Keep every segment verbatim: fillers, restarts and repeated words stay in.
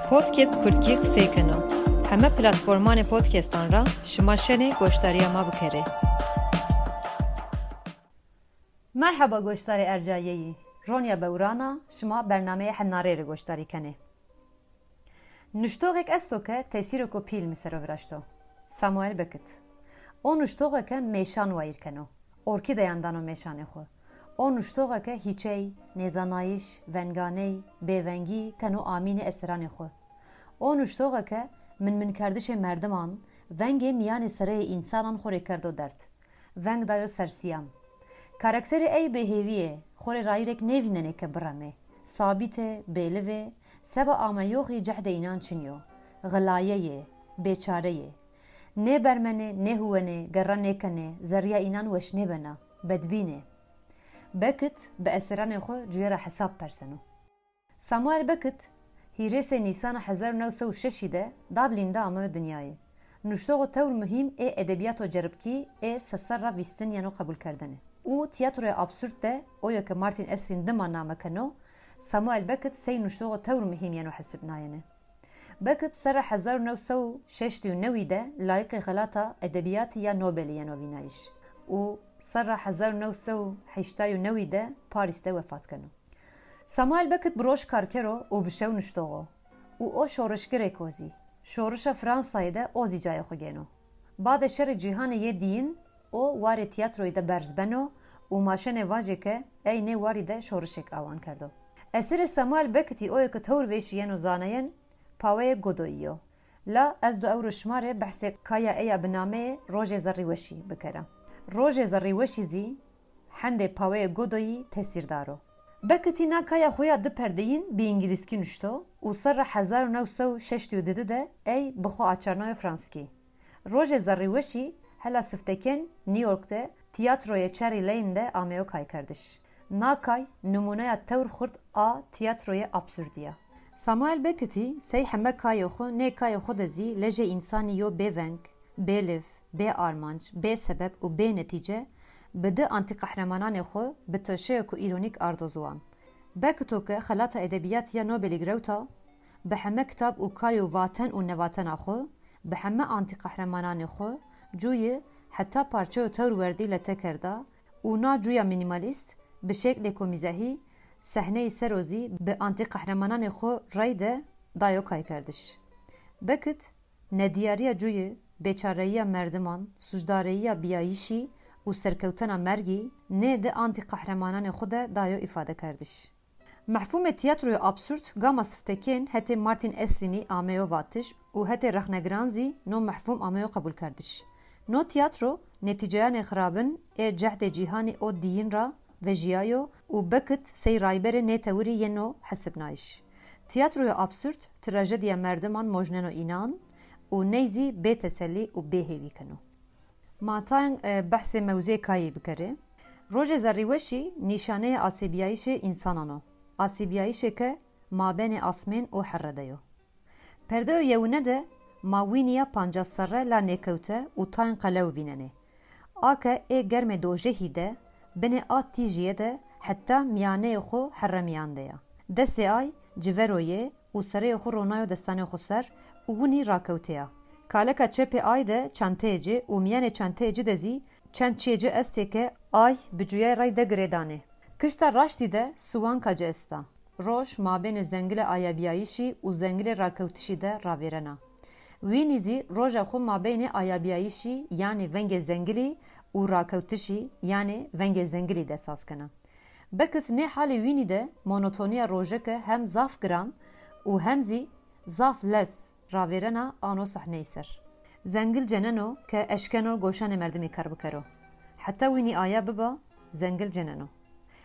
Podcast Kurdkî qisey keno. Heme platformanê podcastan ra şima şenê goşdariya ma bikerê. Merheba goşdarê ercayeyî. Ronya Bewran a, şima bernameyê Henarê rê goşdarî kenê. Nuştoxêk esto ke tesîreko pîl mi sero viraşto. Samuel Beckett. O nuştoxeke mêşan wayîr keno. Orkîdeyan dano mêşanê xwe. O nuştoxeke hîçey, nêzanayîş, venganey, bêvengî keno amînê eseranê xwe. O nuştoxeke minminkerdişê merdiman, vengê mîyanê sereyê însanan xwe rê kerdo derd. Veng dayo ser siyan. Karakterê ey bêhêvî ye, xo rê rayîrek nêvînenê ke biremê. Sabît e, bêliv e, seba ameyoxî cehdê înan çin yo. Xilaye yê, bêçare yê. Nêbermenê, nêhuwenê, gerra nêkenê, zerrîya înan weş nêbena, bedbîn ê. Beckett bi eseranê xo cuye ra hesab perseno. Samuel Beckett, hîrêsê Nîsana hezar û new sed û şeşî de Dublin de ameyo dinyayê. Nuştoxo tewr muhîm ê edebiyato ceribkî ê seserra vîstin yeno qebûlkerdene. Û tiyatroya absurd de oyo ke Martin Aslin dima name keno, Samuel Beckett sey nuştoxo tewr muhîm yeno hesibnayene. Beckett serra hezar û new sed û şeştî û newî de layiqê xelata edebiyatî ya Nobelî yeno vînayîş û serra hezar û new sed û heştay û newî de Parîs de wefat keno. Samuel Beckett bi roj karker o û bi şew nuştox o û o şorişgirêk o zî. Şorişa Fransayê de o zî cayê xwe gêno. Badê Şerê Cîhanê yê Dîyin o warê tiyatroyê de berz beno û ma şenê vajê ke ey nê warî de şorişêk awan kerdo. Eserê Samuel Beckettî oyo ke tewr vêşî yeno zanayên, Paweyê Godoyî yo. La ez do ewro şima rê behsê kaya ey ya bi nameyê Rojê Zerrîweşî bikera. Rojê Zerrîweşî zî hendê Paweyê Godoyî tesîrdar o. Beckett î na kaya xwe ya di perdeyîn bi îngilîzkî nuşto û serra hezar û new sed û şeştî û didi de ey bi xwe açarnayo franskî. Rojê Zerrîweşî hela siftekên New York de tiyatroyê Cherry Lane de ameyo kaykerdiş. Na kay nimûneya tewr xurt a tiyatroyê absurdî ya. Samuel Beckettî sey heme kayê xwe, nê kayê xwe de zî lejê însanî yo bêveng, bêliv, bê armanc, bê sebeb û bê netîce bi di antîqehremananê xwe bi toşeyeko îronîk ardo ziwan. Becketto ke xelata edebiyatî ya Nobelî girewta, bi heme kitab û kay û vaten û nevatena xwe, bi heme antîqehremananê xwe, cûyî heta parçeyo tewr werdî lete kerda û na cûya mînîmalîst bi şeklêko mîzahî, sehneyî ser o zî bi antîqehremananê xwe rey de dayo kaykerdiş. Beckett, nediyariya cûyî, bêçareyiya merdiman, sûcdareyiya biyayîşî û serkewtena mergî nê di antîqehremananê xwe de dayo îfadekerdiş. Mefhûmê tiyatroya absurd gama siftekên hetê Martin Eslinî ameyo vatiş û hetê rexnegiran zî no mefhûm ameyo qebûlkerdiş. No tiyatro netîceyanê xirabin ê cehdê cîhanî o dîyin ra vejiyayo û Beckett sey rayberê nê tewirî yeno hesibnayiş. Tiyatroya absurd trajediya merdiman mojneno înan û ney zî bê tesellî û bê hêvî keno. Ma tayên, e, behsê mewzê kayê bikerê. Rojê Zerrîweşî nîşaneyê asêbiyayîşê însanan o. Asêbiyayîşê ke mabênê asmên û herre de yo. Perdeyo yewine de ma wînîya pancas serre la nêkewte û tayên qelew vînenê. A ke ê germê dojehî de, binê a tîjiyê de heta miyaneyê xwe herre miyan de ya. Destê ay civero yê û sereyê xwe ronayo destanê xwe ser û winî rakewtê ya. Kaleka çepê ay de çanteyê ci û miyanê çanteyê ci de zî çend çiyê ci estê ke ay bi cuyay rey de girêdanê. Kişta raştî de siwanka ci esta. Roj mabênê zengilê ayabiyayîşî û zengilê rakewtişî de ravêrena. Wînî zî roja xwe mabênê ayabiyayîşî, yanî vengê zengilî û rakewtişî, yanî vengê zengilî de saz kena. Beckett nê halê wînî de monotoniya rojeke hem zaf giran û hem zî zaf lez ravêrena ano sahneyî ser. Zengil ceneno ke eşkeno goşanê merdimî kar bikero. Heta wînî aya biba, zengil ceneno.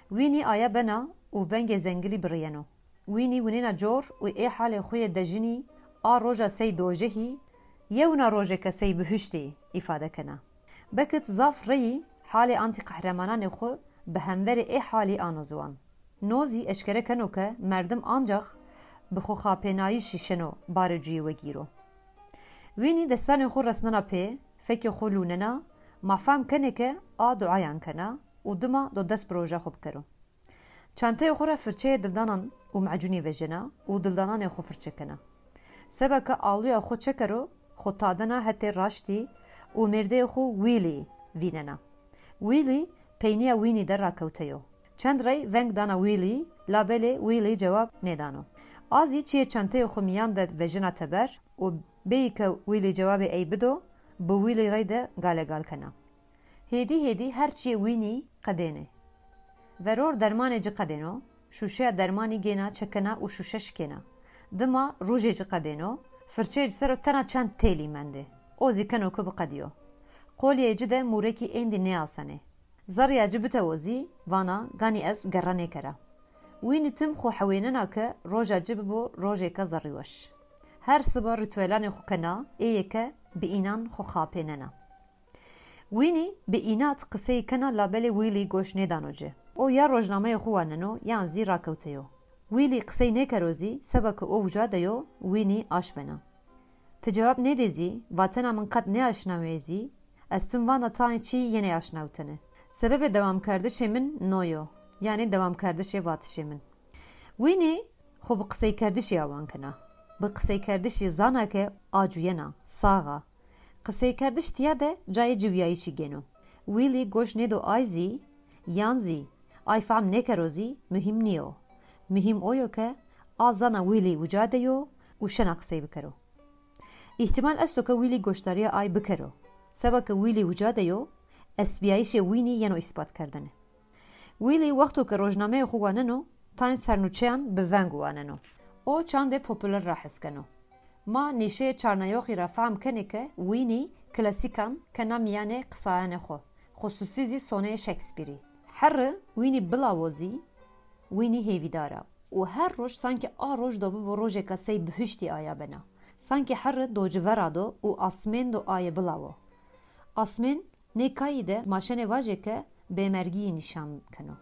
Wînî aya bena û vengê zengilî biriyeno. Wînî winêna cor û ê halê xwe yê dejinî a roja sey dojehî, yewna rojeke sey bihuştî îfade kena. Beckett zaf reyî halê antîqehremananê xwe bi hemverê ê halî ano ziwan. No zî eşkere keno ke merdim ancax bi xwexapênayîşî şeno barê cuyê wegîro. Wînî destanê xwe resnena pê, fekê xwe lûnena, ma fehm kenê ke a duayan kena û dima do dest bi roja xwe bikero. Çanteyê xwe re firçeyê dildanan û macûnî vejena û dildananê xwe firçe kena. Seba ke alûya xwe çekero, xwe tadena hetê raştî û mêrdeyê xwe Willy vînena. Willy peyniya Winnie de rakewte yo. Çend rey veng dana Willy, labelê Willy cewab nêdano. A zî çiyê çenteyê xwe miyan de vejina teber û bêyî ke Willy cewabê ey bido, bi Willy rey de galegal kena. Hêdî hêdî her çiyê Winnie qedêne. Veror dermanê ci qedêno, şûşeya dermanî gêna çekena û şûşe şikêna. Dima rûjê ci qedêno, firçeyê ci ser o tena çend têlî mendê. O zî keno ku biqediyo. Qoliyê ci de mûrekî êndî nêasenê. Zerrîya ci bitewo zî, vana, ganî ez gerre nêkera. Winnie tim xwe hewênena ke roja ci bibo rojêka zerrîweş. Her siba rîtuelanê xwe kena, ê yeke bi înan xwe xapênena. Winnie bi înat qiseyî kena, labelê Willy goş nêdano ci. O ya rojnameyê xwe waneno yan zî rakewte yo. Willy qisey nêkero zî, seba ke o wija de yo, Winnie aş bena. Ti cewab nêdê zî, vatena min qet nêaşnawê zî, ez tim vana tayê çî yenê aşnawtene. Sebebê dewamkerdişê min no yo, yanî dewamkerdişê vatişê min. Winnie xwe bi qiseykerdişî awan kena. Bi qiseykerdişî zana ke a cuyena, sax a. Qiseykerdiş tiya de cayê ciwiyayîşî gêno. Willy goş nêdo ay zî, yan zî, ay fehm nêkero zî muhîm nîyo. Muhîm o yo ke a zana Willy wija de yo û şena qisey bikero. Îhtimal esto ke Willy goşdariya ay bikero. Seba ke Willy wija de yo, estbiyayîşê Winnie yeno îspatkerdene. Willy wexto ke rojnameyê xwe waneno, tayên sernûçeyan bi veng waneno. O çandê populer ra hes keno. Ma nîşeyê çarneyoxî ra fehm kenê ke Winnie klasîkan kena miyanê qisayanê xwe, xususî zî soneyê Shakespeareî. Herri Winnie bilawo zî Winnie hêvîdar a û her roj sankî a roj do bibo rojêka sey bihiştî aya bena. Sankî herri do ci vera do û asmên do aye bilawo. Asmên nê kayî de ma şenê vajê ke bêmergiyî nîşan keno.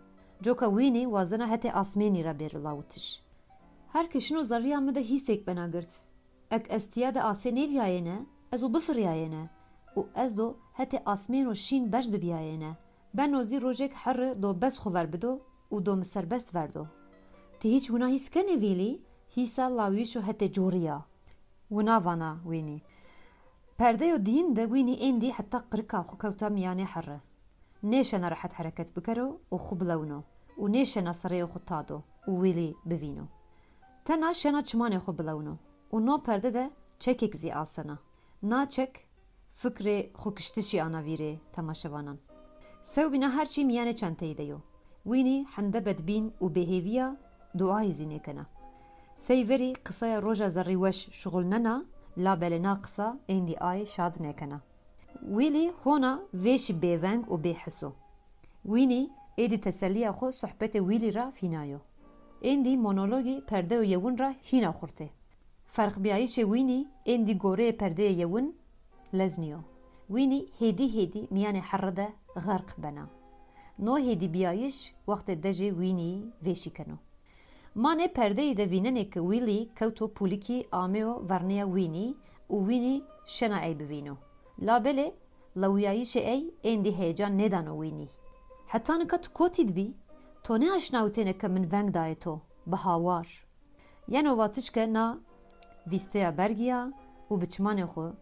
Coka Winnie wazena hetê asmênî re bêro lawitiş. Her ke şino zerrîya min de hîsêk bena girt. Ek ez tiya de asê nêbiyayêne, ez û bifiriyayêne û ez do hetê asmêno şîn berz bibiyayêne. Beno zî rojêk herri do bes xwe ver bido û do min serbest verdo. Ti hîç wina hîs kenê Willy? Hîsa lawiyişo hetê corî ya. Wina vana Winnie. Perdeyo diyîn de Winnie êndî heta qirika xwe kewta miyanê herri. Nêşena rehet hereket bikero û xwe bilewino û nêşena sereyê xwe tado û Willy bivîno. Tena şena çimanê xwe bilewino û no perde de çekek zî asena. Na çek fikrê xwekiştişî ana vîrê temaşevanan. Sewbîna her çî miyanê çenteyî de yo. Winnie hende bedbîn û bêhêviya, duayê zî nêkena. Sey verî qisaya roja zerrîweş şixulnena, labelê na qisa êndî ay şad nêkena. Willy hona vêşî bêveng û bêhis o. Winnie êdî teselliya xwe sohbetê Willy ra fînayo. Êndî monologî perdeyo yewin ra hîna xurt ê. Ferqbiyayîşê Winnie êndî goreyê perdeyê yewin lez nîyo. Winnie hêdî hêdî miyanê herre de xerq bena. No hêdîbiyayîş wextê dejê Winnieî vêşî keno. Ma nê perdeyî de vînenê ke Willy kewto pûlikî ameyo vernîya Winnie û Winnie şena ey bivîno. Labelê lewiyayîşê ey êndî heyecan nêdano Winnie. Heta nika tu kotî dibî? To nêaşnawitêne ke min veng dayê to, bi hawar. Yeno vatiş ke na vîsteya bergiya û bi çimanê xwe,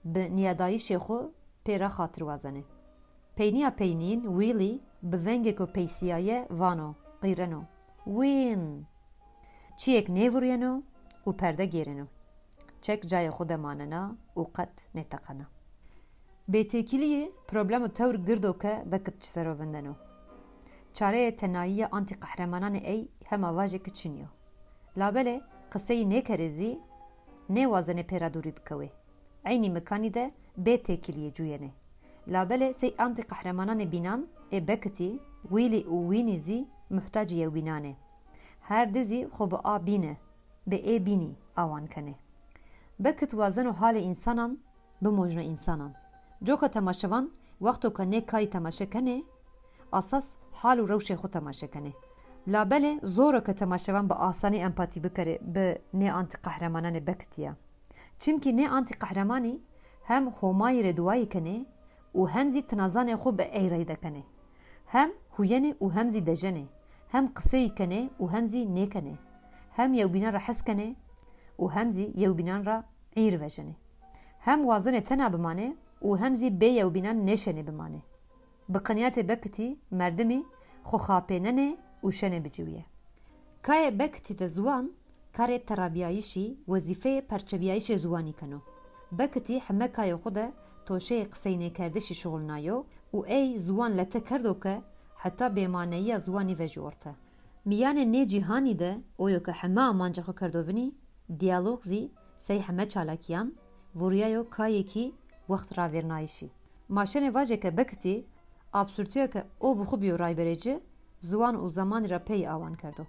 bi niyadayîşê xwe pê re xatir wazenê. Peyniya peynîn Willy bi vengêko peysiyaye vano, qîreno. Wîn! Çiyêk nêvuriyeno û perde gêreno. Çek cayê xwe de manena û qet nêteqena. Bêtêkiliyê problemo tewr girdo ke Beckett ji sero vindeno. Çareyê tenayiya antîqehremananê ey hema vajê ki çin yo. Labelê qiseyî nêkerê zî nêwazenê pê re dûrî bikewê. Eynî mikanî de bê têkiliyê cûyenê. Labelê sey antîqehremananê bînan ê Beckettî, Willy û Winnie zî muhtacî yewbînan ê. Her di zî xwe bi a bîne, bi ê bînî awan kenê. Beckett wazeno halê însanan bimojno însanan. Coka temaşevan wexto ke nê kayî temaşe kenê, asas hal û rewşê xwe temaşe kenê. Labelê zor e ke temaşevan bi asanî empatî bikerê bi nê antîqehremananê Beckettiya. Çimkî nê antîqehremanî hem Homayî rê duayî kenê û hem zî tinazanê xwe bi ey rey de kenê. Hem huyenê û hem zî dejenê. Hem qiseyî kenê û hem zî nêkenê. Hem yewbîna re hes kenê û hem zî yewbînan re îr vejenê. Hem wazenê tena bimanê û hem zî bê yewbînan nêşenê bimanê. Bi qinyetê Bekitî merdimî xwe xapênenê û şenê biciwiye. Kayê Bekitî de ziwan karê terabiyayişî, wezîfeyê perçebiyayişê ziwanî keno. Bekitî heme kayê xwe de toşeyê qiseynêkerdişî şixulnayo û ey ziwan lete kerdo ke heta bêmaneyiya ziwanî vejî orte. Miyanê nê cîhanî de oyo ke heme amanca xwe kerdo vinî, diyalog zî sey heme çalakiyan, vuriyayo kayekî wext ravêrnayişî. Ma şenê vajê ke Bekitî absûrtiyeke o bi xwe bîyo rayberê ci, ziwan û zemanî re pey awan kerdo.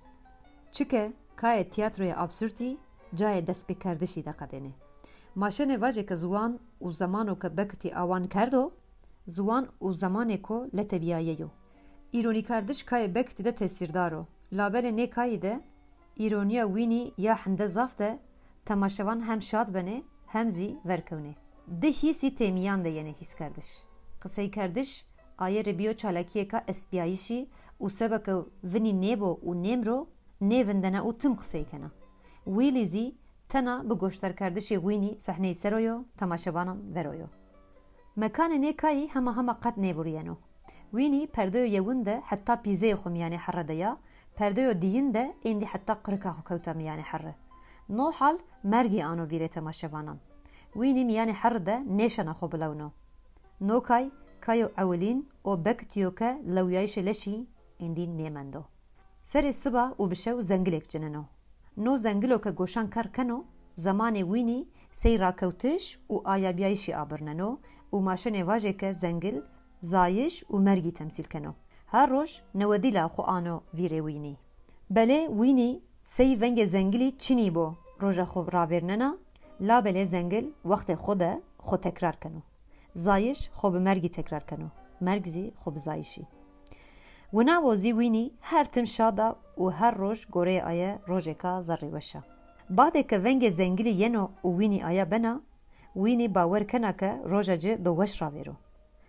Çike kayê tiyatroya absûrtî cayê destpêkerdişî de qedênê. Ma şenê vajê ke ziwan û zemano ke Bekitî awan kerdo, ziwan û zemanêko letebiyaye yo. Îronîkardiş kayê Bekitî de tesîrdar o. Labelê nê kayî de îroniya wînî ya hinde zaf de temaşevan hem şad benê hem zî verkewnê. Di hîsî têmiyan de yenê hîskerdiş. Qiseykerdiş ayê rê bîyo çalakiyeka espiyayişî û sebeke vinî nêbo û nêmro nêvindene û tim qisey kena. Wîlî zî tena bi goşdarkerdişê wînî sehneyî seroyo, temaşevanan veroyo. Mekanê nê kayî hema hema qet nêvuriyeno. Wînî perdeyo yewin de heta pîzeyê xwe miyanê herre de ya, perdeyo diyin de êndî heta qirika xwe kewta miyanê herre. No hal mergî ano vîrê temaşevanan. Wînî miyanê herre de nêşena xwe bilewno. No kay, kayo ewilîn o Bekitiyo ke lewyayişê leşî êndî nêmendo. Serê siba û bi şew zengilêk cineno. No zengilo ke goşan ker keno, zemanê wînî sey rakewtiş û ayabiyayişî abirneno û ma şenê vajê ke zengil, zayiş û mergî temsîl keno. Her roj newedîla xwe ano vîrê wînî. Belê wînî sey vengê zengilî çinî bo roja xwe ravêrnena, labelê zengil wextê xwe de xwe tekrar keno. Zayiş xwe bi mergî tekrar keno, merg zî xwe bi zayişî. Wina bo zî wînî her tim şad a û her roj goreyê aye rojeka zerrîweş a. Badê ke vengê zengilî yeno û wînî aya bena, wînî bawer kena ke roja ci do weş ravêro.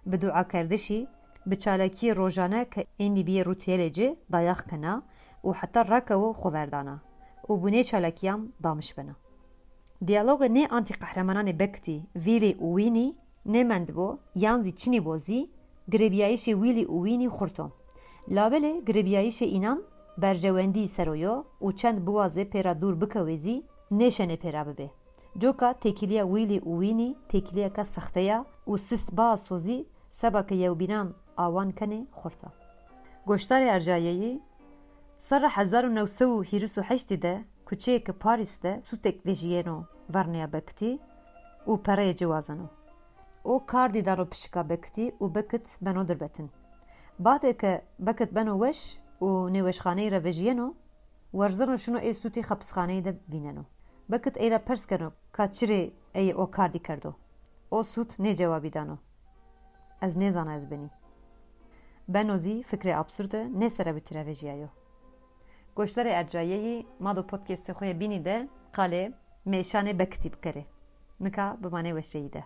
Bi duakerdişî, bi çalakiyê rojane ke êndî bîyê rûtiyelê ci dayax kena û heta rakewo xwe verdana û bi nê çalakiyan damiş bena. Diyalogê nê antîqehremananê Bekitî, Vîlî û Wînî nêmendbo yan zî çinî bo zî, girêbiyayîşê Wîlî û Wînî xurt o. Labelê girêbiyayîşê înan berjewendî ser o yo û çend biwaze pê re dûr bikewê zî nêşenê pê re bibê. Coka têkiliya Wîlî û Wînî têkiliyeke sexte ya û sist ba sozî seba ke yewbînan awan kenê xurt a. Goşdarê ercayeyî, serra hezar û new sed û hîris û heştê de kuçeyeke Parîs de sûtek vejiyeno verneya Bekitî û pereyê ci wazeno. O kardî dano pişika Bekitî û Bekit beno dirbetin. Badê ke Bekit beno weş û nêweşxaneyî re vejiyeno, werzeno şino ê sûtî xepisxaneyî de vîneno. Bekit ey re pers keno ka çirê ey o kardî kerdo. O sût nê cewabî dano. Ez nêzana ez binî. Beno zî fikrê absurde nê serebitî re vejiyayo. Goşdarê ercayeyî, ma do podcastê xwe yê bînî de qalê mêşanê Bekitî bikerê. Nika bimanê weşeyî de.